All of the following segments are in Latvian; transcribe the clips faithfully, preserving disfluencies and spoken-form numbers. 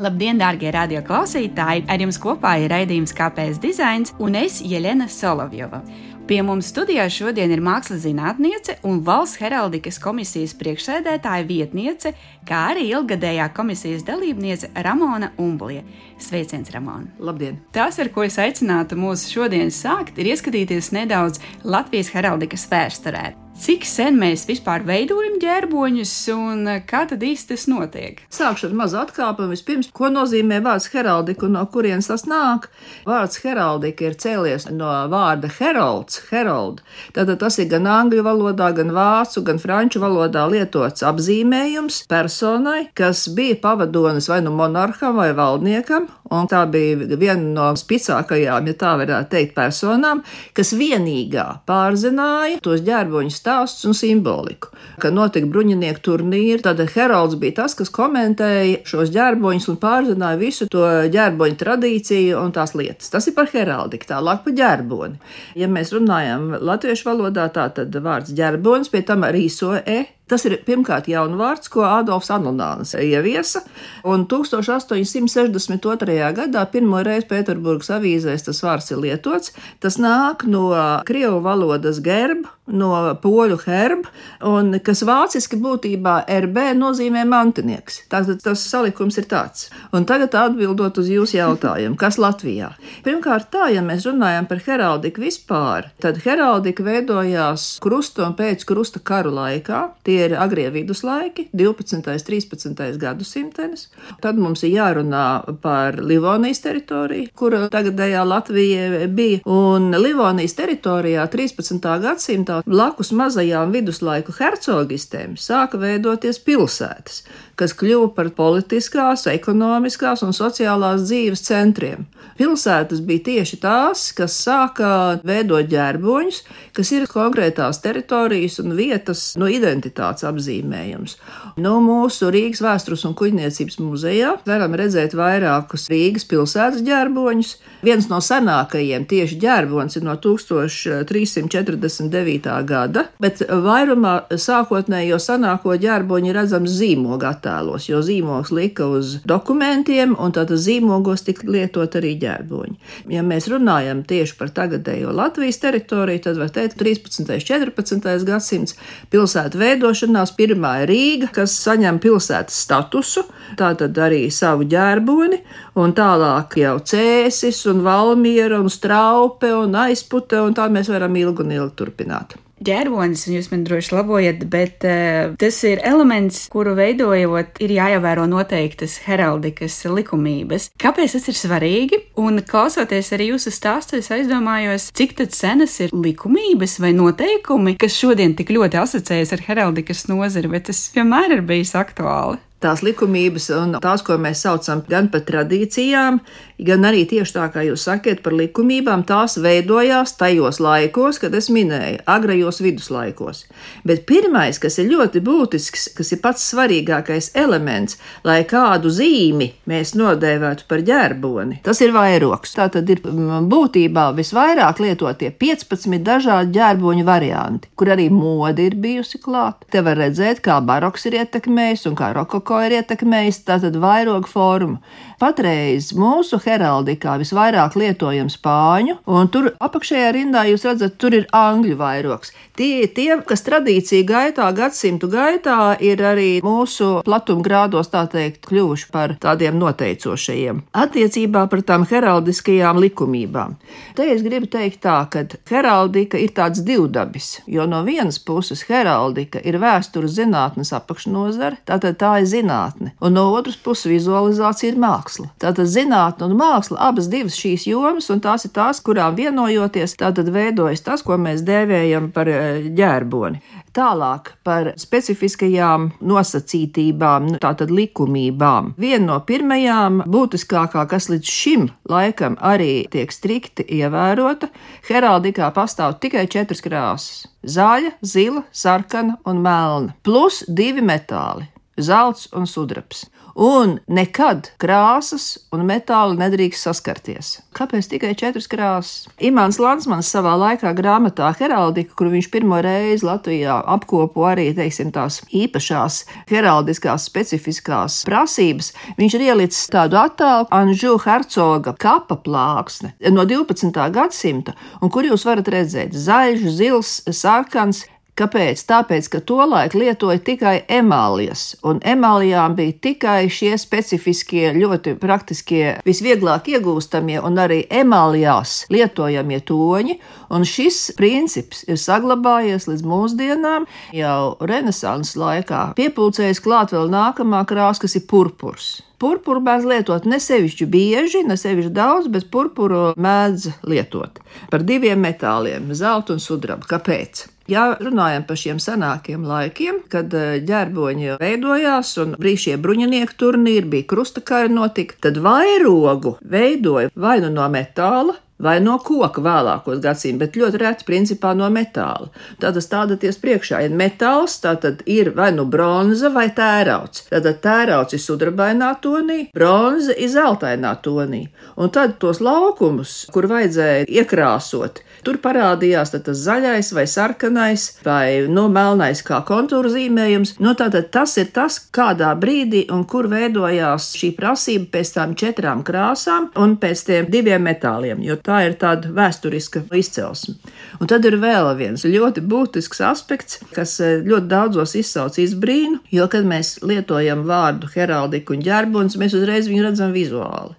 Labdien, dārgie radio klausītāji! Ar jums kopā ir raidījums Kāpēc dizains un es, Jelena Solovjova. Pie mums studijā šodien ir mākslas zinātniece un Valsts heraldikas komisijas priekšsēdētāja vietniece, kā arī ilgadējā komisijas dalībniece Ramona Umblie. Sveiciens, Ramona! Labdien! Tas, ar ko es aicinātu mūs šodien sākt, ir ieskatīties nedaudz Latvijas heraldikas vēsturē. Cik sen mēs vispār veidojam ģērboņus un kā tad īsti tas notiek? Sākšu ar mazu atkāpumu. Vispirms, ko nozīmē vārds heraldika un no kurienes tas nāk? Vārds heraldika ir cēlies no vārda herolds, herold. Tātad tas ir gan angļu valodā, gan vācu, gan franču valodā lietots apzīmējums personai, kas bija pavadonis vai nu monarham vai valdniekam, un tā bija viena no spicākajām, ja tā varētu teikt, personām, kas vienīgā pārzināja tos ģērboņus stāsts un simboliku. Kad notika bruņinieku turnīri, tad herolds bija tas, kas komentēja šos ģērboņus un pārzināja visu to ģērboņu tradīciju un tās lietas. Tas ir par heraldiku, tālāk par ģērboni. Ja mēs runājam latviešu valodā, tā tad vārds ģērbonis, pie tam arī so e. Tas ir pirmkārt jaunvārds, ko Adolfs Anunāns ieviesa, un tūkstoš astoņi simti sešdesmit otrajā gadā pirmo reizi Pēterburgas avīzēs tas vārds ir lietots. Tas nāk no krievu valodas gerb, no poļu herb, un kas vāciski būtībā rb nozīmē mantinieks. Tātad tas salikums ir tāds. Un tagad atbildot uz jūsu jautājumu, kas Latvijā? Pirmkārt tā, ja mēs runājam par heraldiku vispār, tad heraldika veidojās krusta un pēc krusta karu laikā. Tie ir agrie viduslaiki, divpadsmitais, trīspadsmitais gadsimtenis. Tad mums ir jārunā par Livonijas teritoriju, kura tagadējā Latvija bija. Un Livonijas teritorijā trīspadsmitā gadsimtā blakus mazajām viduslaiku hercogistēm sāka veidoties pilsētas, kas kļuva par politiskās, ekonomiskās un sociālās dzīves centriem. Pilsētas bija tieši tās, kas sāka veidot ģērboņus, kas ir konkrētās teritorijas un vietas no identitātes apzīmējums. No mūsu Rīgas vēstures un kuģniecības muzejā varam redzēt vairākus Rīgas pilsētas ģērboņus. Viens no senākajiem tieši ģērbonis ir no tūkstoš trīs simti četrdesmit devītā gada, bet vairumā sākotnējo senāko ģērboņu redzams zīmoga attēlos, jo zīmogs lika uz dokumentiem un tātad zīmogos tika lietot arī ģērboņi. Ja mēs runājam tieši par tagadējo Latvijas teritoriju, tad var teikt trīspadsmitais, četrpadsmitais gadsimts pilsētu veidošanās pirmā ir Rīga, kas saņem pilsētas statusu, tātad arī savu ģērboni, un tālāk jau Cēsis un Valmiera un Straupe un Aizpute, un tā mēs varam ilgi un ilgi turpināt. Ģērbonis, jūs man droši labojat, bet uh, tas ir elements, kuru veidojot ir jāievēro noteiktas heraldikas likumības. Kāpēc tas ir svarīgi? Un klausoties arī jūsu stāstu, es aizdomājos, cik tad senas ir likumības vai noteikumi, kas šodien tik ļoti asociējas ar heraldikas nozari, bet tas vienmēr ir bijis aktuāli. Tās likumības un tās, ko mēs saucam gan par tradīcijām, gan arī tieši tā, kā jūs sakiet par likumībām, tās veidojās tajos laikos, kad es minēju, agrajos viduslaikos. Bet pirmais, kas ir ļoti būtisks, kas ir pats svarīgākais elements, lai kādu zīmi mēs nodēvētu par ģērboni, tas ir vairogs. Tā tad ir būtībā visvairāk lietotie piecpadsmit dažādi ģērboņu varianti, kur arī mode ir bijusi klāt. Te var redzēt, kā baroks ir ietekmējis un kā rokoko ko ir ietekmējis tātad vairogu formu. Patreiz mūsu heraldikā visvairāk lietojam spāņu, un tur apakšējā rindā jūs redzat, tur ir angļu vairogs. Tie ir tie, kas tradīcija gaitā, gadsimtu gaitā ir arī mūsu platumgrādos, tā teikt, kļuvuši par tādiem noteicošajiem. Attiecībā par tām heraldiskajām likumībām. Te es gribu teikt tā, ka heraldika ir tāds divdabis, jo no vienas puses heraldika ir vēstures zinātnes apakšnozare, tātad tā ir zinātne, un no otras puses vizualizācija ir māksla. Tātad zinātne un māksla, abas divas šīs jomas, un tās ir tās, kurām vienojoties, tātad veidojas tas, ko mēs dēvējam par ģērboni. Tālāk par specifiskajām nosacītībām, tātad likumībām. Viena no pirmajām būtiskākā, kas līdz šim laikam arī tiek strikti ievērota, heraldikā pastāv tikai četras krāsas – zaļa, zila, sarkana un melna, plus divi metāli. zelts un sudrabs. Un nekad krāsas un metāli nedrīkst saskarties. Kāpēc tikai četras krāsas? Imants Landsmans savā laikā grāmatā Heraldika, kur viņš pirmo reizi Latvijā apkopo arī, teiksim, tās īpašās heraldiskās specifiskās prasības, viņš ir ielicis tādu attēlu Anžu hercoga kapa plāksne no divpadsmitā gadsimta, un kur jūs varat redzēt zaļš, zils, sarkans. Kāpēc? Tāpēc, ka tolaik lietoja tikai emālijas, un emālijām bija tikai šie specifiskie, ļoti praktiskie, visvieglāk iegūstamie un arī emālijās lietojamie toņi, un šis princips ir saglabājies līdz mūsdienām. Jau Renesanses laikā piepulcējas klāt vēl nākamā krāsa, kas ir purpurs. Purpuru mēdz lietot ne sevišķi bieži, ne sevišķi daudz, bet purpuru mēdz lietot par diviem metāliem, zeltu un sudrabu. Kāpēc? Ja runājam par šiem senākiem laikiem, kad ģerboņi veidojās un bija šie bruņinieku turnīri, bija krustakari notika, tad vairogu veidoja vai nu no metāla, vai no koka vēlākos gadsimtus, bet ļoti reti principā no metāla. Tātad stādaties priekšā, ja metāls, tātad ir vai nu bronza vai tērauds. Tātad tērauds ir sudrabainā tonī, bronza ir zeltainā tonī. Un tad tos laukumus, kur vajadzēja iekrāsot, tur parādījās tas zaļais vai sarkanais vai no melnais kā kontūra zīmējums. No tātad tas ir tas, kādā brīdī un kur veidojās šī prasība pēc tām četrām krāsām un pēc tiem diviem metāliem, jo tā ir tāda vēsturiska izcelsme. Un tad ir vēl viens ļoti būtisks aspekts, kas ļoti daudzos izsauc izbrīnu, jo, kad mēs lietojam vārdu heraldika un ģerbonis, mēs uzreiz viņu redzam vizuāli.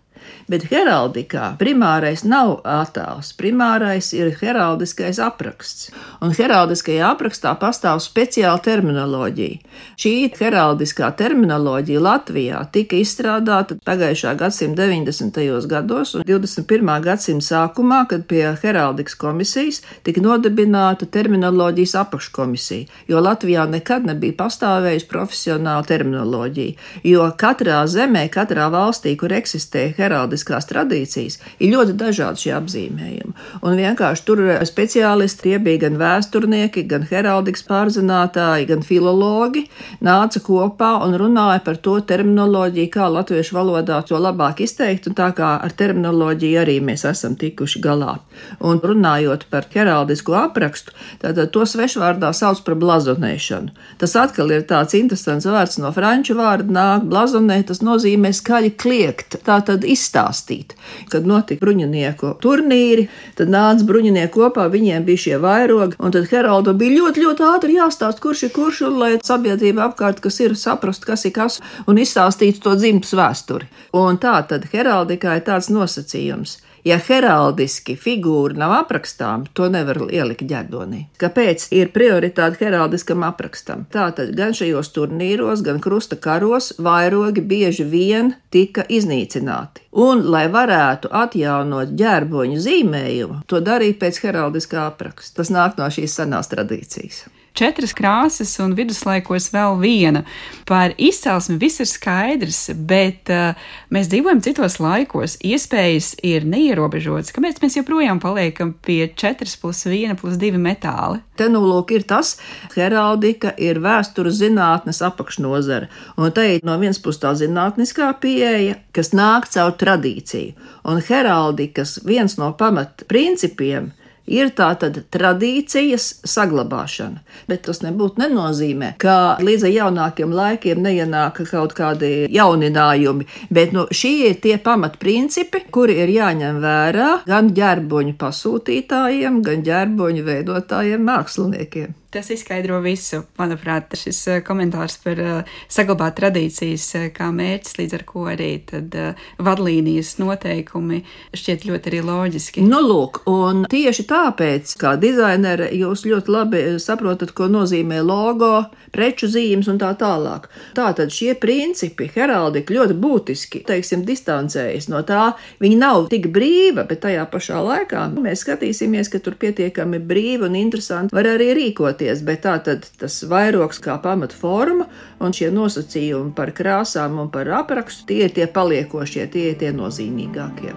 Bet heraldikā primārais nav attēls, primārais ir heraldiskais apraksts. Un heraldiskajā aprakstā pastāv speciāla terminoloģija. Šī heraldiskā terminoloģija Latvijā tika izstrādāta pagājušā gadsimta deviņdesmitajos gados un divdesmit pirmā gadsimta sākumā, kad pie heraldikas komisijas tika nodibināta terminoloģijas apakškomisija, jo Latvijā nekad nebija pastāvējusi profesionāla terminoloģija, jo katrā zemē, katrā valstī, kur eksistē heraldiskās tradīcijas, ir ļoti dažādi šie apzīmējumi. Un vienkārši tur speciālisti, tie bija gan vēsturnieki, gan heraldikas pārzinātāji, gan filologi, nāca kopā un runāja par to terminoloģiju, kā latviešu valodā to labāk izteikt, un tā kā ar terminoloģiju arī mēs esam tikuši galā. Un runājot par heraldisko aprakstu, tātad to svešvārdā sauc par blazonēšanu. Tas atkal ir tāds interesants vārds no franču vārda nāk, blazonē, tas nozīmē skaļi kliegt, tātad izstāstīt. Kad notika bruņinieku turnīri, tad nāca bruņinieki kopā, viņiem bija šie vairogi, un tad heraldam bija ļoti, ļoti ātri jāstāst, kurš ir kurš, un lai sabiedrība apkārt, kas ir, saprast, kas ir kas, un izstāstītu to dzimtas vēsturi. Un tā tad heraldikā ir tāds nosacījums. Ja heraldiski figūra nav aprakstām, to nevar ielikt ģerdonī. Kāpēc ir prioritāte heraldiskam aprakstam? Tātad gan šajos turnīros, gan krusta karos vairogi bieži vien tika iznīcināti. Un, lai varētu atjaunot ģerboņu zīmējumu, to darīja pēc heraldiskā apraksta. Tas nāk no šīs senās tradīcijas. Četras krāsas un viduslaikos vēl viena. Par izcelsmi viss ir skaidrs, bet uh, mēs dzīvojam citos laikos. Iespējas ir neierobežotas. Kāpēc mēs joprojām paliekam pie četras plus viena plus divi metāli? Te nu lūk ir tas, heraldika ir vēstures zinātnes apakšnozara. Un te ir no vienas puses tā zinātniskā pieeja, kas nāk caur tradīciju. Un heraldikas viens no pamat principiem ir tātad tradīcijas saglabāšana, bet tas nebūtu nenozīmē, ka līdz jaunākiem laikiem neienāk kaut kādi jauninājumi, bet nu, šie ir tie pamatprincipi, kuri ir jāņem vērā gan ģerboņu pasūtītājiem, gan ģerboņu veidotājiem māksliniekiem. Tas izskaidro visu. Manuprāt, šis komentārs par uh, saglabāt tradīcijas uh, kā mērķis, līdz ar ko arī tad uh, vadlīnijas noteikumi šķiet ļoti arī loģiski. Nu, lūk, un tieši tāpēc, kā dizaineri, jūs ļoti labi saprotat, ko nozīmē logo, preču zīmes un tā tālāk. Tātad šie principi, heraldika ļoti būtiski, teiksim, distancējas no tā. Viņi nav tik brīva, bet tajā pašā laikā mēs skatīsimies, ka tur pietiekami brīvi un interesanti var arī rīkoties. Bet tā tad tas vairogs kā pamatforma un šie nosacījumi par krāsām un par aprakstu, tie ir tie paliekošie, tie ir tie nozīmīgākie.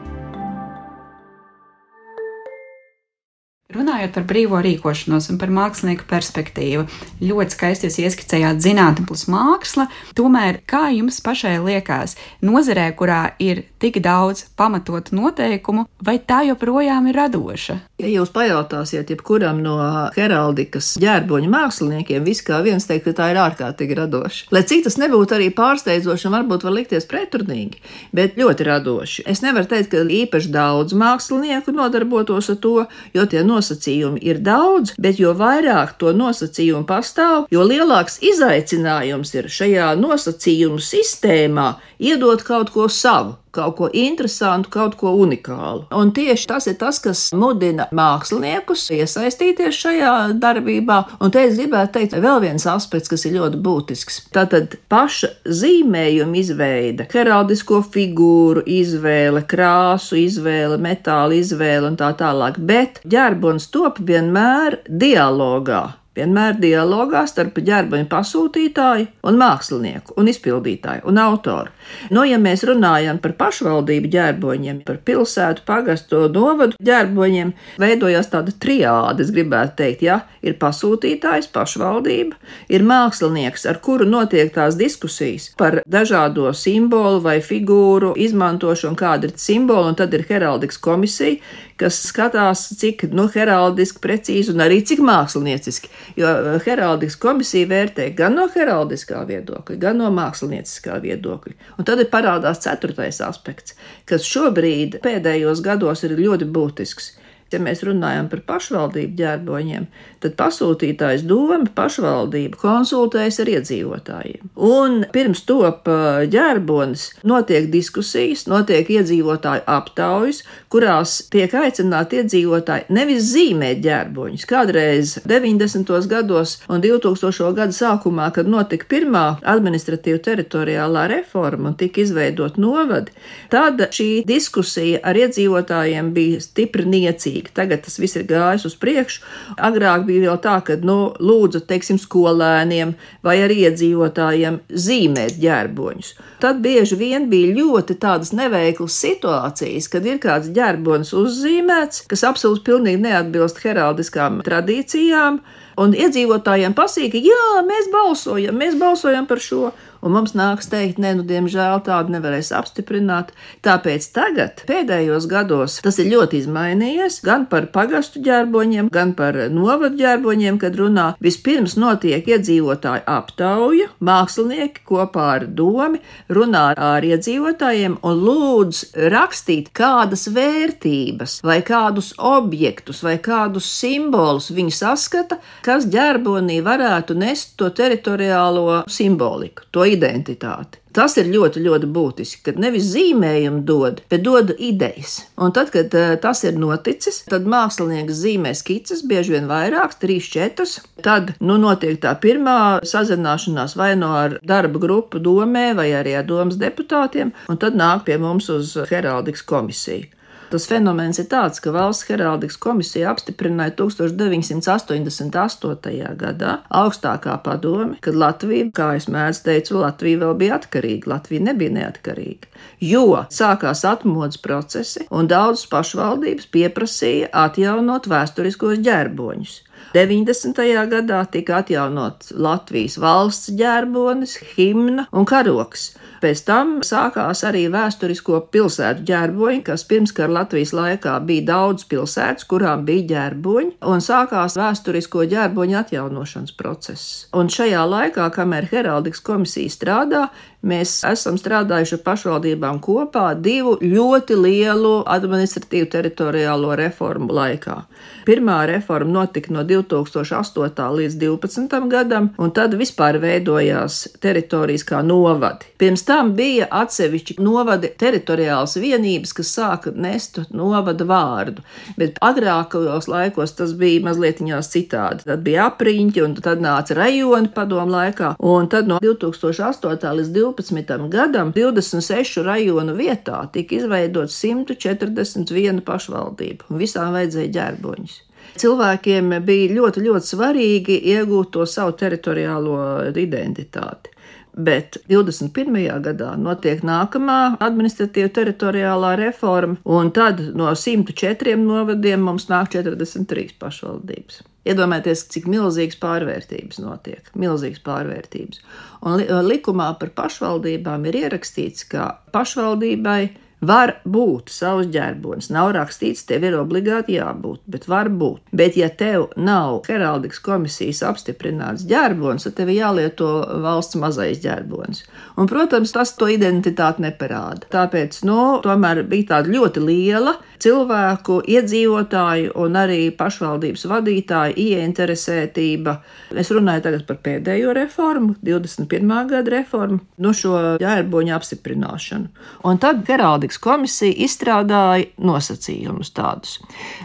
Runājot par brīvo rīkošanos un par mākslinieku perspektīvu, ļoti skaisti jūs ieskicējāt zinātne plus māksla, tomēr kā jums pašai liekas, nozarē, kurā ir tik daudz pamatotu noteikumu, vai tā joprojām ir radoša? Ja jūs pajautāsiet jebkuram no heraldikas ģērboņu māksliniekiem, viss kā viens teikt, ka tā ir ārkārtīgi radoša. Lai cik tas nebūtu arī pārsteidzoši un varbūt var likties preturnīgi, bet ļoti radoši. Es nevaru teikt, ka īpaši daudz mākslinieku nodarbotos ar to, jo tie nosacījumi ir daudz, bet jo vairāk to nosacījumu pastāv, jo lielāks izaicinājums ir šajā nosacījumu sistēmā iedot kaut ko savu, kaut ko interesantu, kaut ko unikālu. Un tieši tas ir tas, kas mudina māksliniekus iesaistīties šajā darbībā. Un te es gribētu teikt vēl viens aspekts, kas ir ļoti būtisks. Tātad paša zīmējuma izveide, heraldisko figūru izvēle, krāsu izvēle, metāla izvēle un tā tālāk. Bet ģerbonis top vienmēr dialogā. Vienmēr dialogā starp ģerboņu pasūtītāju un mākslinieku un izpildītāju un autoru. Nu, ja mēs runājam par pašvaldību ģerboņiem, par pilsētu, pagastu, novadu ģerboņiem, veidojās tāda triāde, es gribētu teikt, ja, ir pasūtītājs, pašvaldība, ir mākslinieks, ar kuru notiek tās diskusijas par dažādo simbolu vai figūru izmantošanu, kāda ir simboli, un tad ir heraldikas komisija, kas skatās, cik, nu, heraldiski precīzi un arī cik mākslinieciski, jo heraldikas komisija vērtē gan no heraldiskā viedokļa, gan no mākslinieciskā viedokļa. Un tad ir parādās ceturtais aspekts, kas šobrīd pēdējos gados ir ļoti būtisks. Ja mēs runājam par pašvaldību ģerboņiem, tad pasūtītājs doma, pašvaldība konsultējas ar iedzīvotājiem. Un pirms top ģerbonis notiek diskusijas, notiek iedzīvotāju aptaujas, kurās tiek aicināti iedzīvotāji nevis zīmēt ģerboņus. Kādreiz deviņdesmitos gados un divtūkstošo gadu sākumā, kad notika pirmā administratīva teritoriālā reforma un tika izveidot novadi, tad šī diskusija ar iedzīvotājiem bija stipri niecīga. Tagad tas viss ir gājis uz priekšu. Agrāk bija vēl tā, ka, nu, lūdzu, teiksim, skolēniem vai arī iedzīvotājiem zīmēt ģerboņus. Tad bieži vien bija ļoti tādas neveiklas situācijas, kad ir kāds ģerbonis uzzīmēts, kas absolūti pilnīgi neatbilst heraldiskām tradīcijām, un iedzīvotājiem pasīk, jā, mēs balsojam, mēs balsojam par šo. Un mums nāks teikt, ne, nu, diemžēl tādu nevarēs apstiprināt. Tāpēc tagad, pēdējos gados, tas ir ļoti izmainījies, gan par pagastu ģerboņiem, gan par novadu ģerboņiem, kad runā. Vispirms notiek iedzīvotāju aptauja, mākslinieki kopā ar domi runā ar iedzīvotājiem un lūdz rakstīt, kādas vērtības vai kādus objektus vai kādus simbolus viņi saskata, kas ģerbonī varētu nest to teritoriālo simboliku, to identitāti. Tas ir ļoti, ļoti būtiski, kad nevis zīmējumu dod, bet dod idejas. Un tad, kad tas ir noticis, tad mākslinieks zīmē skices, bieži vien vairākas, trīs, četras. Tad, nu, notiek tā pirmā sazināšanās vai no ar darba grupu domē, vai arī ar domas deputātiem, un tad nāk pie mums uz heraldikas komisiju. Tas fenomens ir tāds, ka Valsts heraldikas komisija apstiprināja tūkstoš deviņsimt astoņdesmit astotajā gadā augstākā padome, kad Latvija, kā es mēdzu teicu, Latvija vēl bija atkarīga, Latvija nebija neatkarīga, jo sākās atmodas procesi un daudzas pašvaldības pieprasīja atjaunot vēsturiskos ģerboņus. deviņdesmitajā gadā tika atjaunots Latvijas valsts ģerbonis, himna un karoks. Pēc tam sākās arī vēsturisko pilsētu ģerboņi, kas pirmskara Latvijas laikā bija daudz pilsētas, kurām bija ģerboņi, un sākās vēsturisko ģerboņu atjaunošanas process. Un šajā laikā, kamēr heraldikas komisija strādā, mēs esam strādājuši ar pašvaldībām kopā divu ļoti lielu administratīvu teritoriālo reformu laikā. Pirmā reforma notika no divtūkstoš astotā līdz divpadsmitam gadam, un tad vispār veidojās teritorijas kā novadi. Pirms tam bija atsevišķi novadi teritoriālas vienības, kas sāka nest novada vārdu, bet agrākajos laikos tas bija mazliet citādi. Tad bija apriņķi, un tad nāca rajoni padomu laikā, un tad no divtūkstoš astotā līdz divpadsmitam gadam divdesmit sešu rajonu vietā tika izveidot simt četrdesmit viena pašvaldība, un visām vajadzēja ģerboņus. Cilvēkiem bija ļoti, ļoti svarīgi iegūt to savu teritoriālo identitāti. bet divdesmit pirmajā gadā notiek nākamā administratīva teritoriālā reforma, un tad no simt četriem novadiem mums nāk četrdesmit trīs pašvaldības. Iedomājieties, cik milzīgas pārvērtības notiek, milzīgas pārvērtības. Un likumā par pašvaldībām ir ierakstīts, ka pašvaldībai var būt savs ģerbonis. Nav rakstīts, tev ir obligāti jābūt, bet var būt. Bet ja tev nav heraldikas komisijas apstiprināts ģerbonis, tad tev jālieto valsts mazais ģerbonis. Un, protams, tas to identitāti neparāda. Tāpēc, nu, tomēr bija tāda ļoti liela cilvēku, iedzīvotāju un arī pašvaldības vadītāju ieinteresētība. Es runāju tagad par pēdējo reformu, divdesmit pirmā gada reformu, no šo ģerboņu apstiprināšanu. Un tad heraldikas komisija izstrādāja nosacījumus tādus,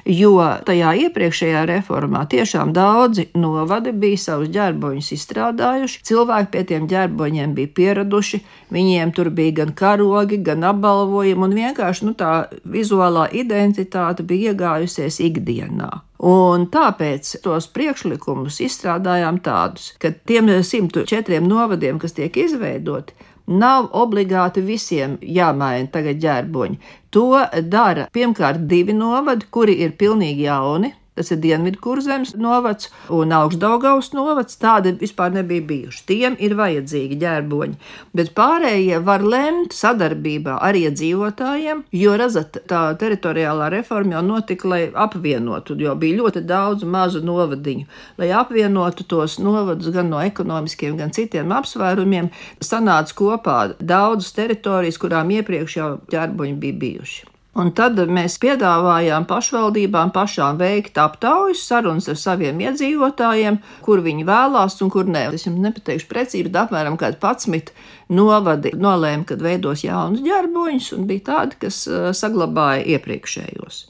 jo tajā iepriekšējā reformā tiešām daudzi novadi bija savus ģerboņus izstrādājuši, cilvēki pie tiem ģerboņiem bija pieraduši, viņiem tur bija gan karogi, gan apbalvojumi, un vienkārši nu, tā vizuālā identitāte bija iegājusies ikdienā. Un tāpēc tos priekšlikumus izstrādājām tādus, ka tiem simt četriem novadiem, kas tiek izveidoti, nav obligāti visiem jāmaina tagad ģerboņi. To dara pirmkārt divi novadi, kuri ir pilnīgi jauni. Tas ir Dienvidkurzemes novads un Augšdaugavas novads, tādi vispār nebija bijuši. Tiem ir vajadzīgi ģerboņi, bet pārējie var lemt sadarbībā ar iedzīvotājiem, jo, redzat, tā teritoriālā reforma jau notika, lai apvienotu, jo bija ļoti daudz mazu novadiņu, lai apvienotu tos novadus gan no ekonomiskiem, gan citiem apsvērumiem, sanāca kopā daudzas teritorijas, kurām iepriekš jau ģerboņi bija bijuši. Un tad mēs piedāvājām pašvaldībām pašām veikt aptaujas, sarunas ar saviem iedzīvotājiem, kur viņi vēlās un kur ne. Es jums nepateikšu precīzi, bet apmēram kādi padsmit novadi nolēma, kad veidos jaunus ģerboņus, un bija tādi, kas saglabāja iepriekšējos.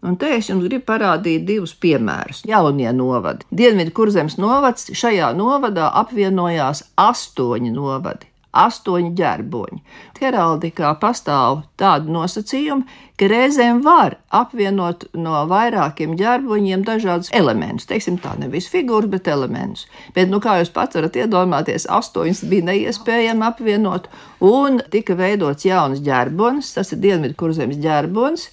Un te es jums gribu parādīt divus piemērus. Jaunie novadi. Dienvidkurzemes novads, šajā novadā apvienojās astoņi novadi. Astoņi ģerboņi. Heraldikā pastāv tādi nosacījumi, ka reizēm var apvienot no vairākiem ģerboņiem dažādus elementus. Teiksim tā, nevis figūras, bet elementus. Bet, nu, kā jūs pat varat iedomāties, astoņas bija neiespējami apvienot, un tika veidots jauns ģerbonis, tas ir Dienvidkurzemes ģerbonis.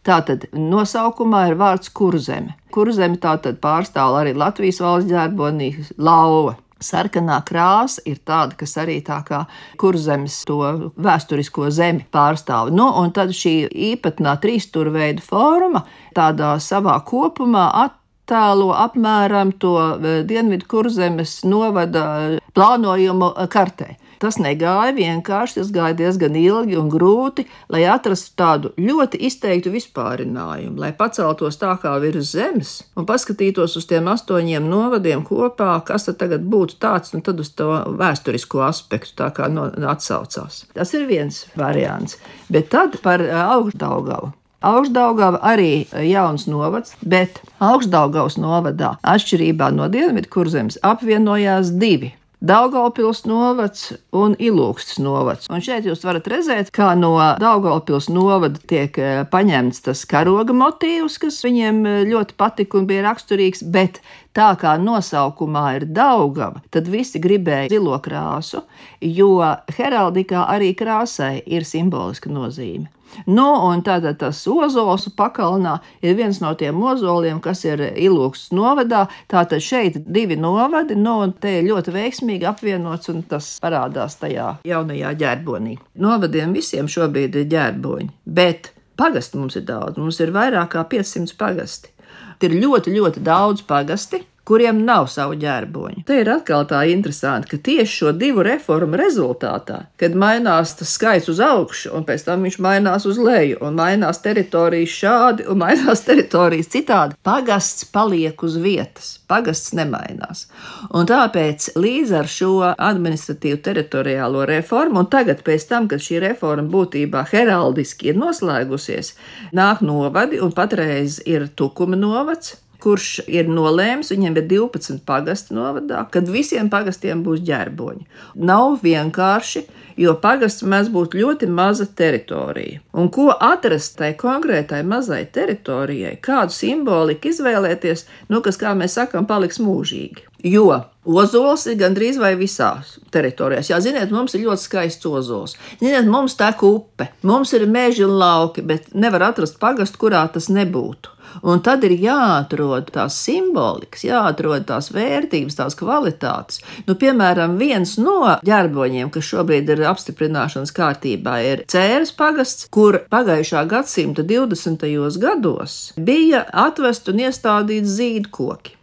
Tātad nosaukumā ir vārds Kurzeme. Kurzeme tātad pārstāv arī Latvijas valsts ģerbonī lauva. Sarkanā krāsa ir tāda, kas arī tā kā Kurzemes to vēsturisko zemi pārstāv. Nu, un tad šī īpatnā trīsstūrveida forma tādā savā kopumā attēlo apmēram to Dienvidkurzemes novada plānojumu kartē. Tas negāja vienkārši, tas gāja diezgan ilgi un grūti, lai atrastu tādu ļoti izteiktu vispārinājumu, lai paceltos tā kā virs zemes un paskatītos uz tiem astoņiem novadiem kopā, kas tad tagad būtu tāds, un tad uz to vēsturisko aspektu tā kā no, atsaucās. Tas ir viens variants, bet tad par Augšdaugavu. Augšdaugava arī jauns novads, bet Augšdaugavas novadā atšķirībā no Dienvidkurzemes apvienojās divi. Daugavpils novads un Ilūkstes novads. Un šeit jūs varat redzēt, kā no Daugavpils novada tiek paņemts tas karoga motīvs, kas viņiem ļoti patika un bija raksturīgs, bet tā kā nosaukumā ir Daugava, tad visi gribēja zilo krāsu, jo heraldikā arī krāsai ir simboliska nozīme. Nu, un tātad tas ozols pakalnā ir viens no tiem ozoliem, kas ir Ilūkstes novadā. Tātad šeit divi novadi, nu, un te ir ļoti veiksmīgi apvienots, un tas parādās tajā jaunajā ģerbonī. Novadiem visiem šobrīd ir ģerboņi, bet pagasti mums ir daudz, mums ir vairāk kā piecsimt pagasti. Ir ļoti, ļoti daudz pagasti, kuriem nav savu ģerboņu. Te ir atkal tā interesanti, ka tieši šo divu reformu rezultātā, kad mainās tas skaits uz augšu, un pēc tam viņš mainās uz leju, un mainās teritorijas šādi, un mainās teritorijas citādi, pagasts paliek uz vietas, pagasts nemainās. Un tāpēc līdz ar šo administratīvu teritoriālo reformu, un tagad pēc tam, kad šī reforma būtībā heraldiski ir noslēgusies, nāk novadi, un patreiz ir Tukuma novads, kurš ir nolēms, viņiem ir divpadsmit pagasti novadā, kad visiem pagastiem būs ģerboņi. Nav vienkārši, jo pagasts mēs būtu ļoti maza teritorija. Un ko atrast tai konkrētai mazai teritorijai, kādu simboliku izvēlēties, nu, kas, kā mēs sakam, paliks mūžīgi. Jo ozols ir gandrīz vai visās teritorijās. Jā, ziniet, mums ir ļoti skaists ozols. Ziniet, mums tek upe, mums ir meži un lauki, bet nevar atrast pagastu, kurā tas nebūtu. Un tad ir jāatrod tās simbolikas, jāatrod tās vērtības, tās kvalitātes. Nu, piemēram, viens no ģerboņiem, kas šobrīd ir apstiprināšanas kārtībā, ir Cēres pagasts, kur pagājušā gadsimta divdesmitajos gados bija atvest un iestādīts zīdkoki.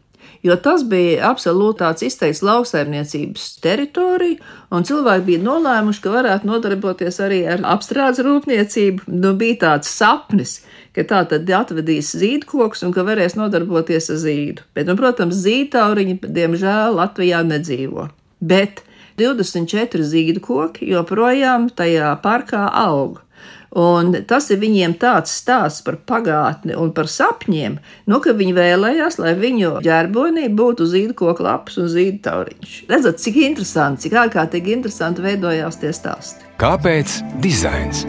Jo tas bija absolūti tāds izteikts lauksaimniecības teritorija, un cilvēki bija nolēmuši, ka varētu nodarboties arī ar apstrādes rūpniecību. Nu, bija tāds sapnis, ka tā tad atvedīs zīdkokus un ka varēs nodarboties ar zīdu. Bet, nu, protams, zīdtauriņi, diemžēl, Latvijā nedzīvo. Bet divdesmit četri zīdkoki joprojām tajā parkā aug. Un tas ir viņiem tāds stāsts par pagātni un par sapņiem, nu, ka viņi vēlējās, lai viņu ģerbonī būtu zīdkoku lapas un zīdtauriņš. Redzat, cik interesanti, cik ārkārtīgi interesanti veidojās tie stāsti. Kāpēc dizains?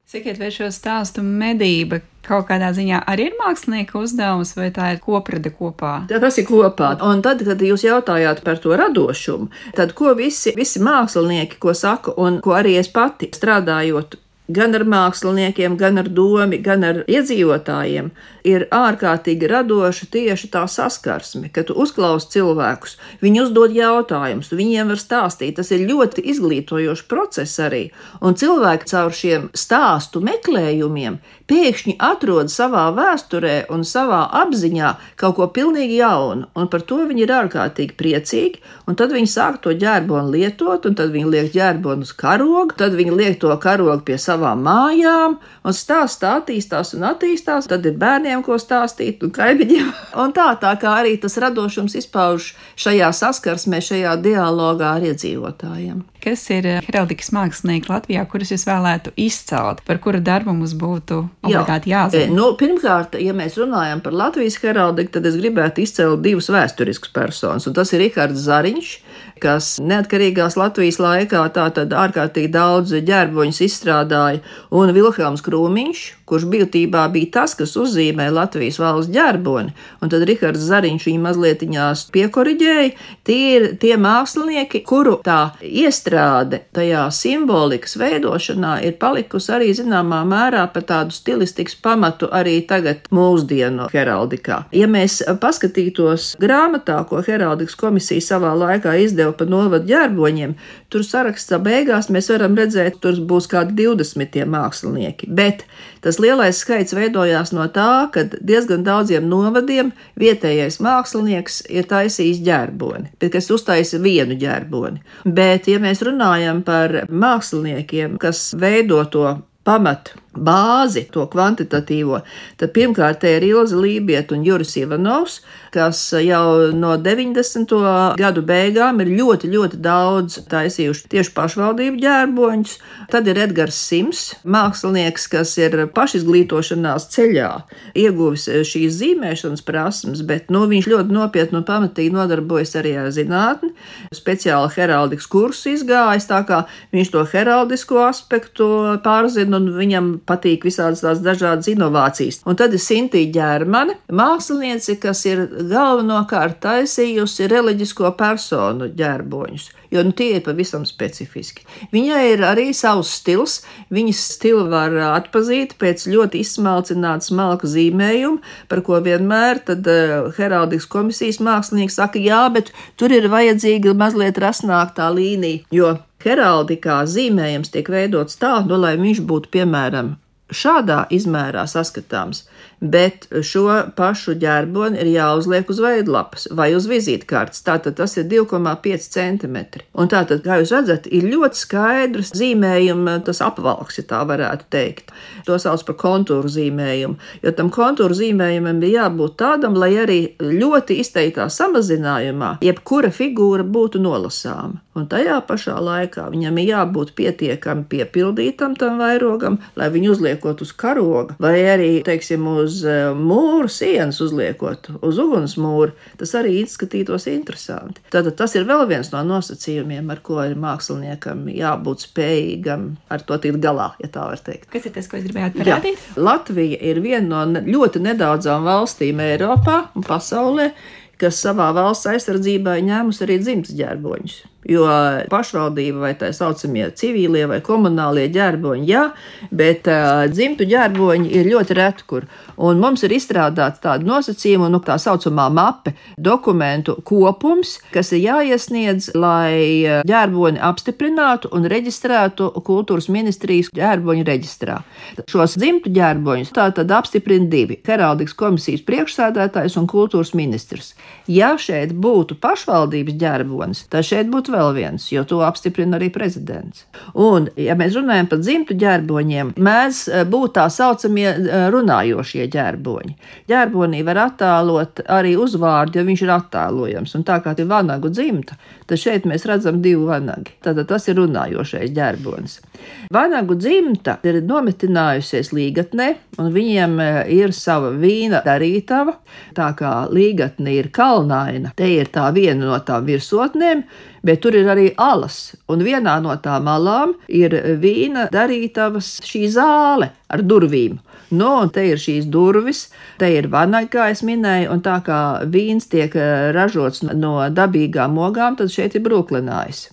Sakiet, vai šo stāstu medība kaut kādā ziņā arī ir mākslinieka uzdevums, vai tā ir koprada kopā? Jā, tas ir kopā. Un tad, kad jūs jautājāt par to radošumu, tad ko visi, visi mākslinieki, ko saka, un ko arī es pati strādājot gan ar māksliniekiem, gan ar domi, gan ar iedzīvotājiem, ir ārkārtīgi radoša tieši tā saskarsme, ka tu uzklausi cilvēkus, viņi uzdod jautājumus, viņiem var stāstīt, tas ir ļoti izglītojošs process arī, un cilvēki caur šiem stāstu meklējumiem pēkšņi atrod savā vēsturē un savā apziņā kaut ko pilnīgi jaunu, un par to viņi ir ārkārtīgi priecīgi, un tad viņi sāk to ģerbonu lietot, un tad viņi liek ģerbonu uz karogu, tad viņi liek to karogu pie savām mājām, un stāsts tā attīstās un attīstās, tad ir bērniem ko stāstīt un kaimiņiem. Un tā, tā kā arī tas radošums izpauž šajā saskarsmē, šajā dialogā ar iedzīvotājiem. Kas ir heraldikas mākslinieki Latvijā, kurus jūs vēlētu izcelt, par kuru darbu mums būtu obligāti jāzina? Jā, nu, pirmkārt, ja mēs runājam par Latvijas heraldiku, tad es gribētu izcelt divus vēsturiskus personas, un tas ir Rihards Zariņš, kas neatkarīgās Latvijas laikā tātad ārkārtīgi daudz ģerboņus izstrādāja, un Vilhelms Krūmiņš, kurš būtībā bija tas, kas uzzīmē Latvijas valsts ģerboni, un tad Rihards Zariņš viņu mazlietiņās piekoriģēja. Tie ir tie mākslinieki, kuru tā iestrāde tajā simbolikas veidošanā ir palikusi arī zināmā mērā par tādu stilistikas pamatu arī tagad mūsdienu heraldikā. Ja mēs paskatītos grāmatā, ko heraldikas komisija savā laikā izdeva par novadu ģerboņiem, tur sarakstā beigās mēs varam redzēt, tur būs kādi divdesmit mākslinieki, bet tas lielais skaits veidojās no tā, ka diezgan daudziem novadiem vietējais mākslinieks ir taisījis ģerboni, bet kas uztaisa vienu ģerboni. Bet, ja mēs runājam par māksliniekiem, kas veido to pamat bāzi, to kvantitatīvo, tad pirmkārt te ir Ilze Lībieta un Juris Ivanovs, kas jau no deviņdesmito gadu beigām ir ļoti, ļoti daudz taisījuši tieši pašvaldību ģērboņus. Tad ir Edgars Sims, mākslinieks, kas ir pašizglītošanās ceļā, ieguvis šīs zīmēšanas prasmes, bet nu, viņš ļoti nopietni un pamatīgi nodarbojas arī ar zinātni, speciāli heraldikas kursu izgājis, tā kā viņš to heraldisko aspektu pārzina un viņam patīk visādas tās dažādas inovācijas. Un tad ir Sintīja Ģermane, māksliniece, kas ir galvenokārt taisījusi reliģisko personu ģerboņus, jo nu, tie ir pavisam specifiski. Viņai ir arī savs stils, viņas stilu var atpazīt pēc ļoti izsmalcināta smalka zīmējuma, par ko vienmēr tad uh, heraldikas komisijas mākslinieki saka, jā, bet tur ir vajadzīga mazliet rasnāk tā līnija, jo heraldikā zīmējums tiek veidots tā, nu, lai viņš būtu, piemēram, šādā izmērā saskatāms, bet šo pašu ģerboni ir jāuzliek uz veidlapas vai uz vizītkartes, tātad tas ir divi komā pieci centimetri. Un tātad, kā jūs redzat, ir ļoti skaidrs zīmējuma, tas apvalks, ja tā varētu teikt. To sauc par kontūru zīmējumu, jo tam kontūru zīmējumam bija jābūt tādam, lai arī ļoti izteiktā samazinājumā jebkura figūra būtu nolasāma. Un tajā pašā laikā viņam ir jābūt pietiekami piepildītam tam vairogam, lai viņu uzliekot uz karoga, vai arī, teiksim, uz uz mūru sienas uzliekot, uz uguns mūru, tas arī izskatītos interesanti. Tātad tas ir vēl viens no nosacījumiem, ar ko ir māksliniekam jābūt spējīgam ar to tikt galā, ja tā var teikt. Kas ir tas, ko es gribētu parādīt? Jā. Latvija ir viena no ļoti nedaudzām valstīm Eiropā un pasaulē, kas savā valsts aizsardzībā ņēmusi arī dzimtas ģērboņus. Jo pašvaldība vai tā saucamie civīlie vai komunālie ģērboņi, jā, bet uh, dzimtu ģērboņi ir ļoti reti kur. Un mums ir izstrādāts tāda nosacījuma, nu, tā saucamā mape, dokumentu kopums, kas ir jāiesniedz, lai ģērboni apstiprinātu un reģistrētu kultūras ministrijas ģērboņu reģistrā. Šos dzimtu ģērboņus tā tad apstiprina divi – heraldikas komisijas priekšsēdētājs un kultūras ministrs. Ja šeit būtu pašvaldības ģērbonis, tad šeit būtu vēl viens, jo to apstiprina arī prezidents. Un, ja mēs runājam par dzimtu ģērboņiem, mēdz būt tā saucamie runājošie ģērboņi. Ģērbonī var attēlot arī uzvārdu, ja viņš ir attēlojams. Un tā kā ir vanagu dzimta, tad šeit mēs redzam divu vanagi. Tātad tas ir runājošais ģērbonis. Vanagu dzimta ir nometinājusies Līgatnē, un viņiem ir sava vīna darītava. Tā kā Līgatne ir kalnaina, te ir tā viena no tām virsotnēm, bet tur ir arī alas, un vienā no tām alām ir vīna darītavas šī zāle ar durvīm. Nu, un te ir šīs durvis, te ir vanaga, kā es minēju, un tā kā vīns tiek ražots no dabīgām ogām, tad šeit ir brūklinājis.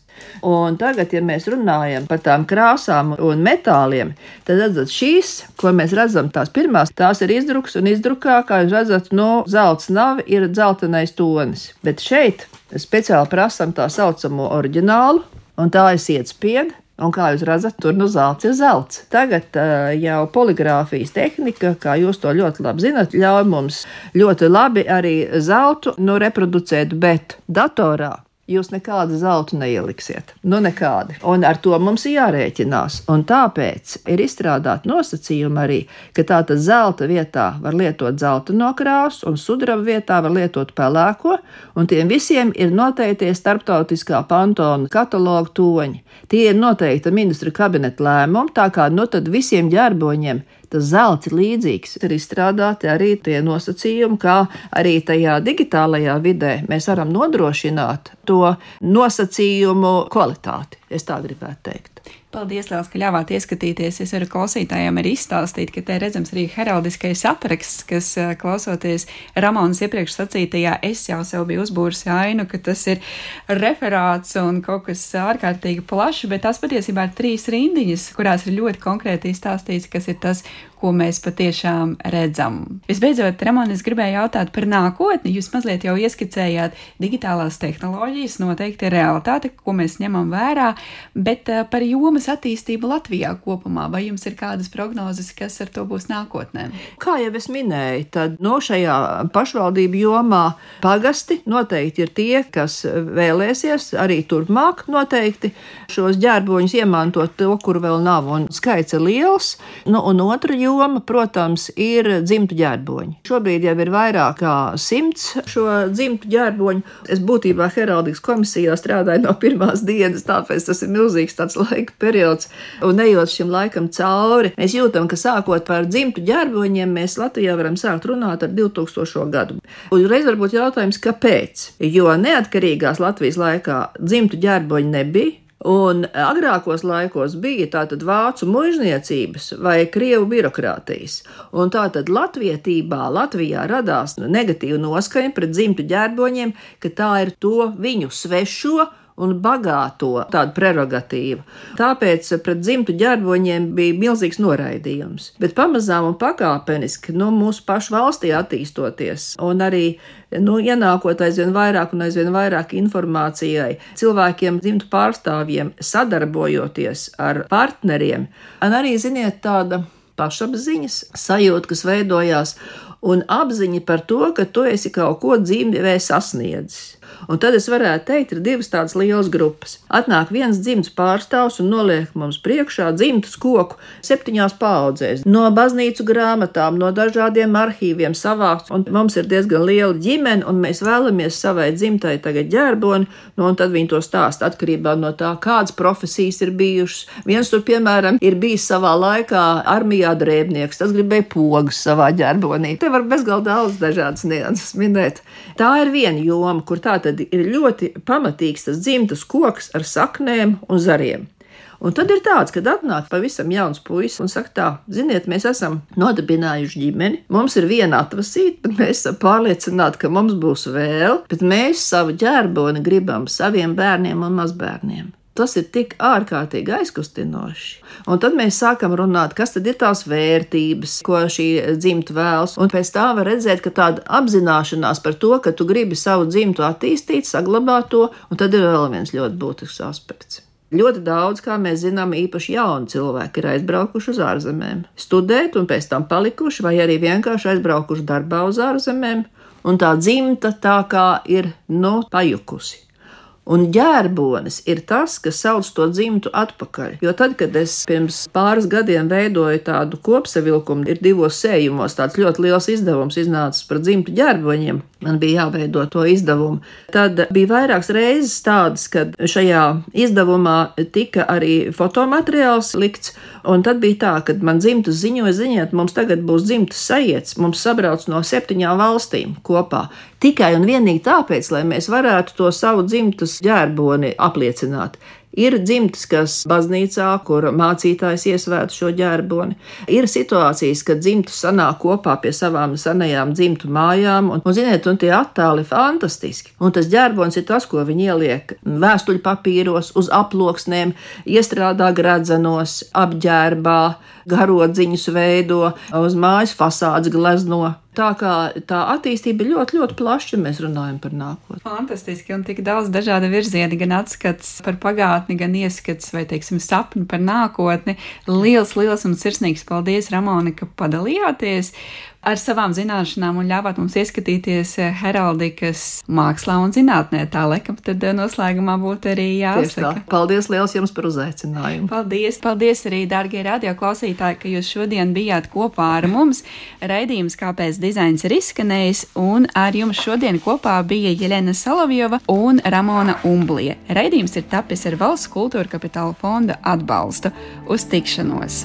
Un tagad, ja mēs runājam par tām krāsām un metāliem, tad redzat šīs, ko mēs redzam, tās pirmās, tās ir izdruks un izdrukā, kā jūs redzat, no zelts nav, ir dzeltenais tonis. Bet šeit speciāli prasam tā saucamo oriģinālu, un tā ir sietspieda. Un kā jūs redzat, tur no zelts ir zelts. Tagad uh, jau poligrāfijas tehnika, kā jūs to ļoti labi zinat, ļauj mums ļoti labi arī zeltu nu, reproducēt, bet datorā jūs nekādu zeltu neieliksiet. Nu, nekādi. Un ar to mums ir jārēķinās. Un tāpēc ir izstrādāt nosacījumi arī, ka tātad zelta vietā var lietot zeltaino krāsu un sudraba vietā var lietot pelēko, un tiem visiem ir noteiktie starptautiskā Pantona kataloga toņi. Tie ir noteikta ministra kabineta lēmumi, tā kā nu tad visiem ģērboņiem tas zelts ir līdzīgs. Ir izstrādāti arī tie nosacījumi, kā arī tajā digitālajā vidē mēs varam nodrošināt to nosacījumu kvalitāti. Es tā gribētu teikt. Paldies, Lielas, ka ļāvāt ieskatīties. Es varu klausītājiem arī izstāstīt, ka te redzams arī heraldiskais apraksts, kas klausoties Ramonas iepriekš sacītajā, es jau sev biju uzbūris ainu, ka tas ir referāts un kaut kas ārkārtīgi plašs, bet tās patiesībā ir trīs rindiņas, kurās ir ļoti konkrēti izstāstīts, kas ir tas, ko mēs patiešām redzam. Visbeidzot, Ramona, es gribēju jautāt par nākotni. Jūs mazliet jau ieskicējāt digitālās tehnoloģijas, noteikti ir realitāte, ko mēs ņemam vērā, bet par jomas attīstību Latvijā kopumā, vai jums ir kādas prognozes, kas ar to būs nākotnē? Kā jau es minēju, tad no šajā pašvaldību jomā pagasti noteikti ir tie, kas vēlēsies arī turpmāk noteikti šos ģērboņus iemantot to, kur vēl nav, un skaits ir liels. Nu, un otra joma, protams, ir dzimtu ģērboņi. Šobrīd jau ir vairāk kā simts šo dzimtu ģērboņu. Es būtībā heraldikas komisijā strādāju no pirmās dienas, tāpēc tas ir milzīgs tāds laika periods. Un ejot šim laikam cauri, mēs jūtam, ka sākot par dzimtu ģērboņiem, mēs Latvijā varam sākt runāt ar divtūkstošo gadu. Un reiz varbūt jautājums, kāpēc? Jo neatkarīgās Latvijas laikā dzimtu ģērboņi nebija. Un agrākos laikos bija tātad vācu muižniecības vai krievu birokrātijas. Un tātad latvietībā, Latvijā radās negatīva noskaņa pret dzimtu ģērboņiem, ka tā ir to viņu svešo un bagāto tādu prerogatīvu. Tāpēc pret dzimtu ģērboņiem bija milzīgs noraidījums. Bet pamazām un pakāpeniski, nu, mūsu pašu valstī attīstoties un arī, nu, ienākot aizvien vairāk un aizvien vairāk informācijai, cilvēkiem, dzimtu pārstāvjiem, sadarbojoties ar partneriem, un arī, ziniet, tāda pašapziņas sajūta, kas veidojās, un apziņa par to, ka tu esi kaut ko dzīvē sasniedzis. Un tad es varētu teikt, ir divas tādas lielas grupas. Atnāk viens dzimtas pārstāvs un noliek mums priekšā dzimtas koku septiņās paudzēs. No baznīcu grāmatām, no dažādiem arhīviem savākts, un mums ir diezgan liela ģimene, un mēs vēlamies savai dzimtai tagad ģerboni, nu, un tad viņi to stāsta atkarībā no tā, kādas profesijas ir bijušas. Viens tur, piemēram, ir bijis savā laikā armijā drēbnieks, tas gribēja pogas savā ģerbonī. Te var bezgalīgi daudz dažādas nianses minēt. Tā ir viena joma, kur tā tad ir ļoti pamatīgs tas dzimtas koks ar saknēm un zariem. Un tad ir tāds, kad atnāk pavisam jauns puisis un saka tā, ziniet, mēs esam nodibinājuši ģimeni, mums ir viena atvasīta, bet mēs esam pārliecināti, ka mums būs vēl, bet mēs savu ģerboni gribam saviem bērniem un mazbērniem. Tas ir tik ārkārtīgi aizkustinoši. Un tad mēs sākam runāt, kas tad ir tās vērtības, ko šī dzimta vēlas. Un pēc tā var redzēt, ka tāda apzināšanās par to, ka tu gribi savu dzimtu attīstīt, saglabāt to, un tad ir vēl viens ļoti būtisks aspekts. Ļoti daudz, kā mēs zinām, īpaši jauni cilvēki ir aizbraukuši uz ārzemēm, studēt un pēc tam palikuši, vai arī vienkārši aizbraukuši darbā uz ārzemēm, un tā dzimta tā kā ir, nu, pajukusi. Un ģērbonis ir tas, kas sauc to dzimtu atpakaļ. Jo tad, kad es pirms pāris gadiem veidoju tādu kopsavilkumu, ir divos sējumos tāds ļoti liels izdevums iznācis par dzimtu ģērboņiem, man bija jāveido to izdevumu. Tad bija vairākas reizes tādas, kad šajā izdevumā tika arī fotomateriāls likts, un tad bija tā, kad man dzimtas ziņoja, ziņiet, mums tagad būs dzimtas sajiets, mums sabrauc no septiņām valstīm kopā. Tikai un vienīgi tāpēc, lai mēs varētu to savu dzimtas ģērboni apliecināt. Ir dzimtas, kas baznīcā, kur mācītājs iesvēta šo ģērboni. Ir situācijas, kad dzimtas sanāk kopā pie savām senajām dzimtu mājām, un, un ziniet, un tie attēli fantastiski. Un tas ģērbonis ir tas, ko viņi ieliek vēstuļu papīros, uz aploksnēm, iestrādā gredzenos, apģērbā, garodziņus veido, uz mājas fasādes glezno. Tā kā tā attīstība ir ļoti, ļoti plaša, ja mēs runājam par nākotni. Fantastiski, un tik daudz dažādu virzieni, gan atskats par pagātni, gan ieskats vai, teiksim, sapņu par nākotni. Liels, liels un sirsnīgs paldies, Ramona, ka padalījāties ar savām zināšanām un ļāvāt mums ieskatīties heraldikas mākslā un zinātnē. Tā laikam tad noslēgumā būtu arī jāsaka. Paldies liels jums par uzaicinājumu. Paldies, paldies arī, dārgie radioklausītāji, ka jūs šodien bijāt kopā ar mums. Raidījums Kāpēc dizains ir izskanējis, un ar jums šodien kopā bija Jeļena Solovjova un Ramona Umblie. Raidījums ir tapis ar Valsts kultūra kapitāla fonda atbalstu. Uz tikšanos!